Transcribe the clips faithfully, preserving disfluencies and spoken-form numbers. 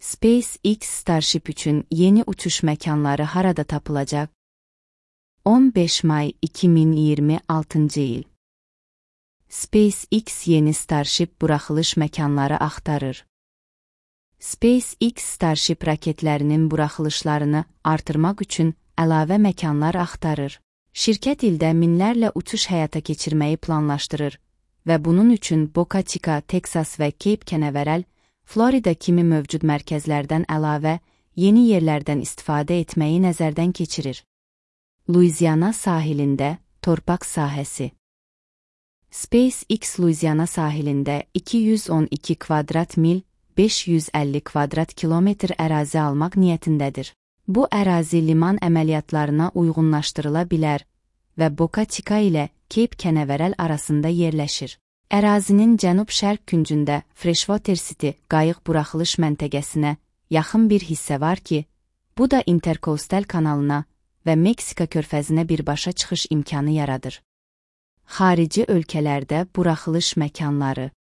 SpaceX Starship üçün yeni uçuş məkanları harada tapılacaq? on beş may iki min iyirmi altıncı il. SpaceX yeni Starship buraxılış məkanları axtarır. SpaceX Starship raketlərinin buraxılışlarını artırmaq üçün əlavə məkanlar axtarır. Şirkət ildə minlərlə uçuş həyata keçirməyi planlaşdırır və bunun üçün Boca Chica, Texas və Cape Canaveral, Florida kimi mövcud mərkəzlərdən əlavə yeni yerlərdən istifadə etməyi nəzərdən keçirir. Louisiana sahilində torpaq sahəsi. SpaceX Louisiana sahilində iki yüz on iki kvadrat mil, beş yüz əlli kvadrat kilometr ərazi almaq niyyətindədir. Bu ərazi liman əməliyyatlarına uyğunlaşdırıla bilər və Boca Chica ilə Cape Canaveral arasında yerləşir. Ərazinin cənub-şərq küncündə Freshwater City qayıq buraxılış məntəqəsinə yaxın bir hissə var ki, bu da Intercoastal kanalına və Meksika körfəzinə birbaşa çıxış imkanı yaradır. Xarici ölkələrdə buraxılış məkanları.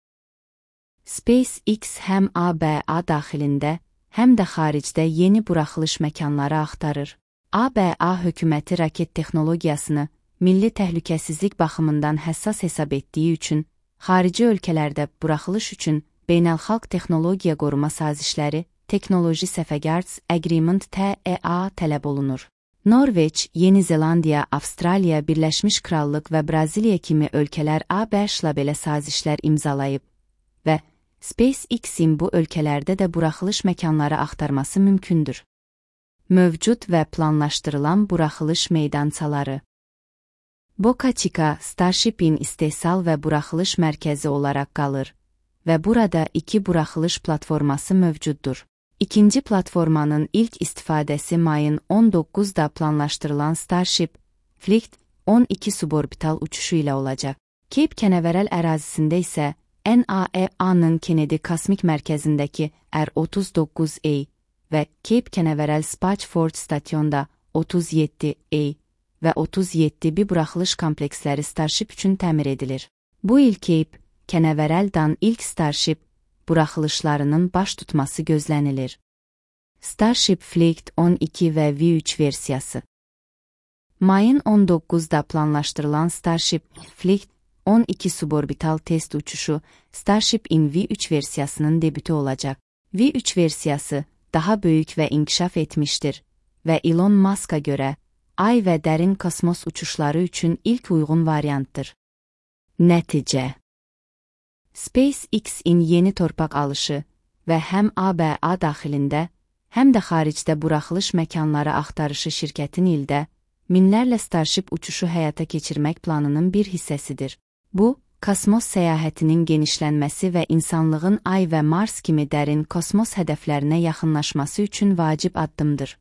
SpaceX həm A B A daxilində, həm də xaricdə yeni buraxılış məkanları axtarır. A B A hökuməti raket texnologiyasını milli təhlükəsizlik baxımından həssas hesab etdiyi üçün, xarici ölkələrdə buraxılış üçün Beynəlxalq Texnologiya Qoruma Sazişləri Technology Safeguards Agreement T E A tələb olunur. Norveç, Yeni Zelandiya, Avstraliya, Birləşmiş Krallıq və Braziliya kimi ölkələr A B Ş-la belə sazişlər imzalayıb və SpaceX-in bu ölkələrdə də buraxılış məkanları axtarması mümkündür. Mövcud və planlaşdırılan buraxılış meydançaları. Boca Chica, Starship-in istehsal və buraxılış mərkəzi olaraq qalır və burada iki buraxılış platforması mövcuddur. İkinci platformanın ilk istifadəsi mayın on doqquzunda planlaşdırılan Starship Flight on iki suborbital uçuşu ilə olacaq. Cape Canaveral ərazisində isə N A S A-nın Kennedy Kosmik Mərkəzindəki R otuz doqquz A və Cape Canaveral Space Force Station'da otuz yeddi A və otuz yeddi B buraxılış kompleksləri Starship üçün təmir edilir. Bu il Cape Canaveral'dan ilk Starship buraxılışlarının baş tutması gözlənilir. Starship Flight on iki və V üç versiyası. Mayın on doqquzunda planlaşdırılan Starship Flight on iki suborbital test uçuşu Starship-in V üç versiyasının debütü olacaq. V üç versiyası daha böyük və inkişaf etmişdir və Elon Musk'a görə Ay və dərin kosmos uçuşları üçün ilk uyğun variantdır. Nəticə. SpaceX-in yeni torpaq alışı və həm A B A daxilində, həm də xaricdə buraxılış məkanları axtarışı şirkətin ildə minlərlə Starship uçuşu həyata keçirmək planının bir hissəsidir. Bu, kosmos səyahətinin genişlənməsi və insanlığın Ay və Mars kimi dərin kosmos hədəflərinə yaxınlaşması üçün vacib addımdır.